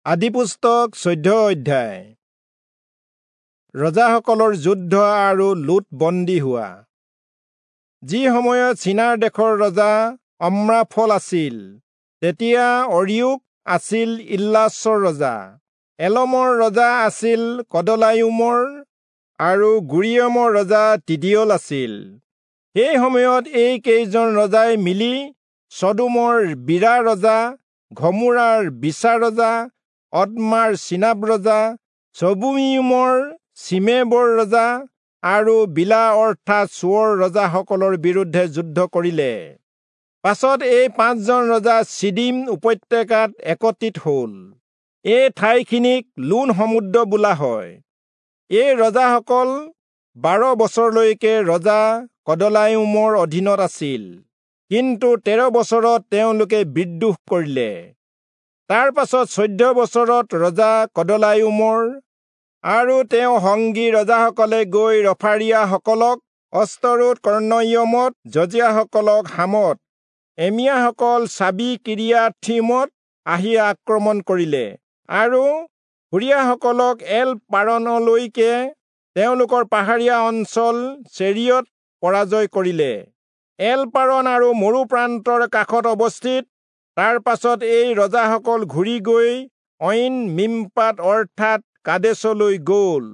আদিপুস্তক 14 অধ্যায়। ৰজাসকলৰ যুদ্ধ আৰু লোট বন্দী হোৱা। যি সময়ত চিনাৰ দেশৰ ৰজা অম্ৰাফল আছিল, তেতিয়া অৰিয়োক আছিল ইল্লাচৰ ৰজা, এলমৰ ৰজা আছিল কদলায়ুমৰ আৰু গুৰিয়মৰ ৰজা তিদিয়ল আছিল। সেই সময়ত এই কেইজন ৰজাই মিলি চদোমৰ বীৰা ৰজা, ঘমোৰাৰ বিচা ৰজা, অদমাৰ চিনাব ৰজা, চবুইমৰ চিমেবৰ ৰজা আৰু বিলা অৰ্থাৎ চোৱৰ ৰজাসকলৰ বিৰুদ্ধে যুদ্ধ কৰিলে। পাছত এই পাঁচজন ৰজা চিদিম উপত্যকাত একত্ৰিত হল। এই ঠাইখিনিক লোণ সমুদ্ৰ বোলা হয়। এই ৰজাসকল 12 বছৰলৈকে ৰজা কদলায়ুমৰ অধীনত আছিল, কিন্তু 13 বছৰত তেওঁলোকে বিদ্ৰোহ কৰিলে। তাৰ পাছত 14 বছৰত ৰজা কদলায়ুমৰ আৰু তেওঁ সংগী ৰজাসকলে গৈ ৰফাৰীয়াসকলক অস্তৰোত কৰ্ণয়মত, যজিয়াসকলক হামত, এমিয়াসকল চাবি কিৰিয়াথিমত আহি আক্ৰমণ কৰিলে আৰু হুৰীয়াসকলক এল পাৰণলৈকে তেওঁলোকৰ পাহাৰীয়া অঞ্চল চেৰিয়ত পৰাজয় কৰিলে। এল পাৰণ আৰু মৰু প্ৰান্তৰ কাষত অৱস্থিত। তাৰ পাছত এই ৰজাসকল ঘূৰি গৈ ঐন মিম্পাত অৰ্থাৎ কাদেশলৈ গল।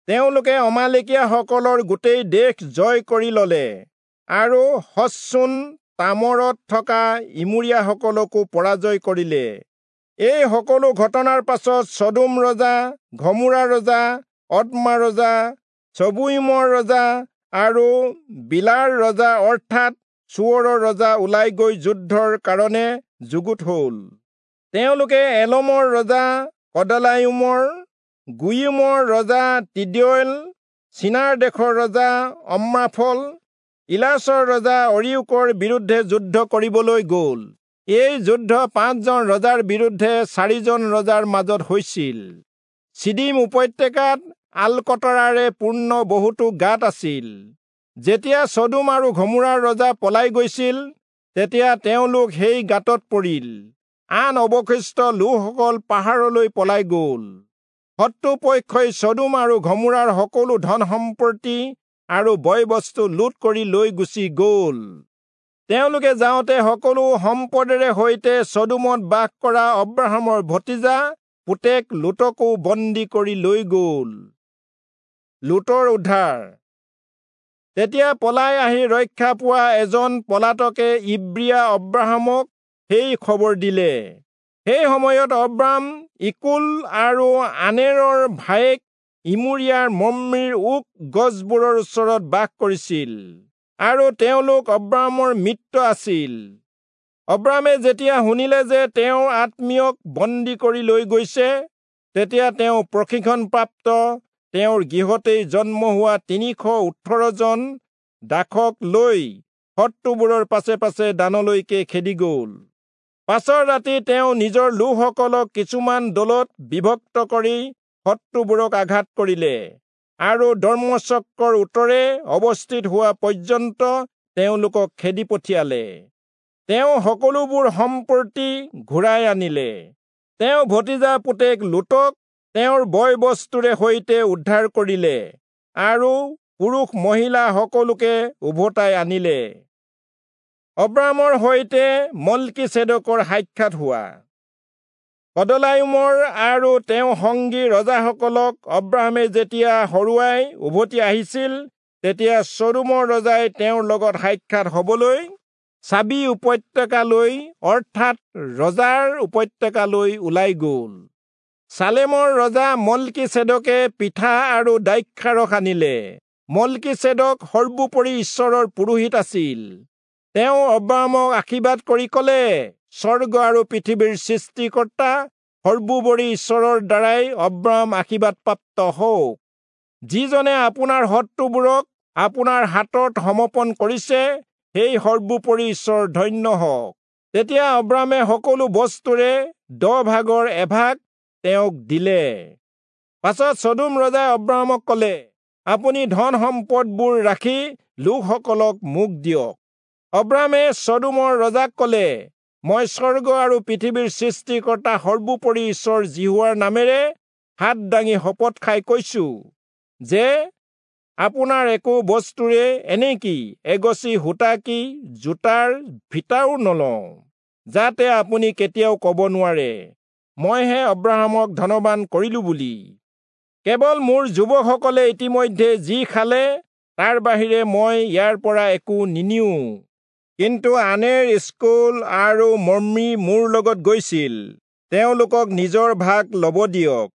তেওঁলোকে অমালেকীয়াসকলৰ গোটেই দেশ জয় কৰি ললে আৰু হচচোন তামৰত থকা ইমূৰীয়াসকলকো পৰাজয় কৰিলে। এই সকলো ঘটনাৰ পাছত চদোম ৰজা, ঘমোৰা ৰজা, অদমা ৰজা, চবুইমৰ ৰজা আৰু বিলাৰ ৰজা অৰ্থাৎ চোৱৰৰ ৰজা ওলাই গৈ যুদ্ধৰ কাৰণে যুগুত হল। তেওঁলোকে এলমৰ ৰজা কদলায়ুমৰ, গুয়িমৰ ৰজা তিদিয়ল, চিনাৰ দেশৰ ৰজা অম্ৰাফল, ইলাচৰ ৰজা অৰিয়োকৰ বিৰুদ্ধে যুদ্ধ কৰিবলৈ গল। এই যুদ্ধ 5জন ৰজাৰ বিৰুদ্ধে 4জন ৰজাৰ মাজত হৈছিল। চিদিম উপত্যকাত আলকতৰাৰে পূৰ্ণ বহুতো গাঁত আছিল। যেতিয়া চদোম আৰু ঘমোৰাৰ ৰজা পলাই গৈছিল, তেতিয়া তেওঁলোক সেই গাঁতত পৰিল। আন অৱশিষ্ট লোকসকল পাহাৰলৈ পলাই গল। শত্ৰুপক্ষই চদোম আৰু ঘমোৰাৰ সকলো ধন সম্পত্তি আৰু বয় বস্তু লুট কৰি লৈ গুচি গল। তেওঁলোকে যাওঁতে সকলো সম্পদেৰে সৈতে চদোমত বাস কৰা অব্ৰাহামৰ ভতিজা পুতেক লোটকো বন্দী কৰি লৈ গল। লোটৰ উদ্ধাৰ। তেতিয়া পলাই আহি ৰক্ষা পোৱা এজন পলাতকে ইব্ৰীয়া অব্ৰাহামক সেই খবৰ দিলে। সেই সময়ত অব্ৰাহাম ইকুল আৰু আনেৰৰ ভায়েক ইমূৰীয়াৰ মম্মিৰ ওক গছবোৰৰ ওচৰত বাস কৰিছিল আৰু তেওঁলোক অব্ৰাহামৰ মিত্ৰ আছিল। অব্ৰাহামে যেতিয়া শুনিলে যে তেওঁৰ আত্মীয়ক বন্দী কৰি লৈ গৈছে, তেতিয়া তেওঁ প্ৰশিক্ষণপ্ৰাপ্ত তেওঁৰ গৃহতেই জন্ম হোৱা 318 জন দাসক লৈ শত্ৰুবোৰৰ পাছে পাছে দানলৈকে খেদি গল। পাছৰ ৰাতি তেওঁ নিজৰ লোকসকলক কিছুমান দলত বিভক্ত কৰি শত্ৰুবোৰক আঘাত কৰিলে আৰু দমচক্ৰৰ উত্তৰে অৱস্থিত হোৱা পৰ্যন্ত তেওঁলোকক খেদি পঠিয়ালে। তেওঁ সকলোবোৰ সম্পত্তি ঘূৰাই আনিলে। তেওঁ ভতিজা পুতেক লোটক তেওঁৰ বয় বস্তুৰে সৈতে উদ্ধাৰ কৰিলে আৰু পুৰুষ মহিলা সকলোকে উভতাই আনিলে। অব্ৰাহামৰ সৈতে মল্কীচেদকৰ সাক্ষাৎ হোৱা। কদলায়ুমৰ আৰু তেওঁ সংগী ৰজাসকলক অব্ৰাহামে যেতিয়া হৰুৱাই উভতি আহিছিল, তেতিয়া চদোমৰ ৰজাই তেওঁৰ লগত সাক্ষাৎ হবলৈ চাবি উপত্যকালৈ অৰ্থাৎ ৰজাৰ উপত্যকালৈ ওলাই গল। চালেমৰ ৰজা মল্কীচেদকে পিঠা আৰু দ্ৰাক্ষাৰস আনিলে। মল্কীচেদক সৰ্বোপৰি ঈশ্বৰৰ পুৰোহিত আছিল। তেওঁ অব্ৰাহামক আশীৰ্বাদ কৰি কলে, স্বৰ্গ আৰু পৃথিৱীৰ সৃষ্টিকৰ্তা সৰ্বোপৰি ঈশ্বৰৰ দ্বাৰাই অব্ৰাহাম আশীৰ্বাদপ্ৰাপ্ত হওক। যিজনে আপোনাৰ শত্ৰুবোৰক আপোনাৰ হাতত সমৰ্পণ কৰিছে, সেই সৰ্বোপৰি ঈশ্বৰ ধন্য হওক। তেতিয়া অব্ৰাহামে সকলো বস্তুৰে 10 ভাগৰ এভাগ তেওঁক দিলে। পাছত চদোম ৰজাই অব্ৰাহামক কলে, আপুনি ধন সম্পদবোৰ ৰাখি লোকসকলক মোক দিয়ক। অব্ৰাহামে চদোমৰ ৰজাক কলে, মই স্বৰ্গ আৰু পৃথিৱীৰ সৃষ্টিকৰ্তা সৰ্বোপৰি ঈশ্বৰ যিহোৱাৰ নামেৰে হাত দাঙি শপত খাই কৈছো যে আপোনাৰ একো বস্তুৰে, এনেকি এগছি সূতা কি জোতাৰ ফিতাও নলওঁ, যাতে আপুনি কেতিয়াও ক'ব নোৱাৰে, মইহে অব্ৰাহামক ধনবান কৰিলো বুলি। কেৱল মোৰ যুৱকসকলে ইতিমধ্যে যি খালে তাৰ বাহিৰে মই ইয়াৰ পৰা একো নিনিওঁ। কিন্তু আনেৰ, এচকোল আৰু মম্ৰি মোৰ লগত গৈছিল, তেওঁলোকক নিজৰ ভাগ ল'ব দিয়ক।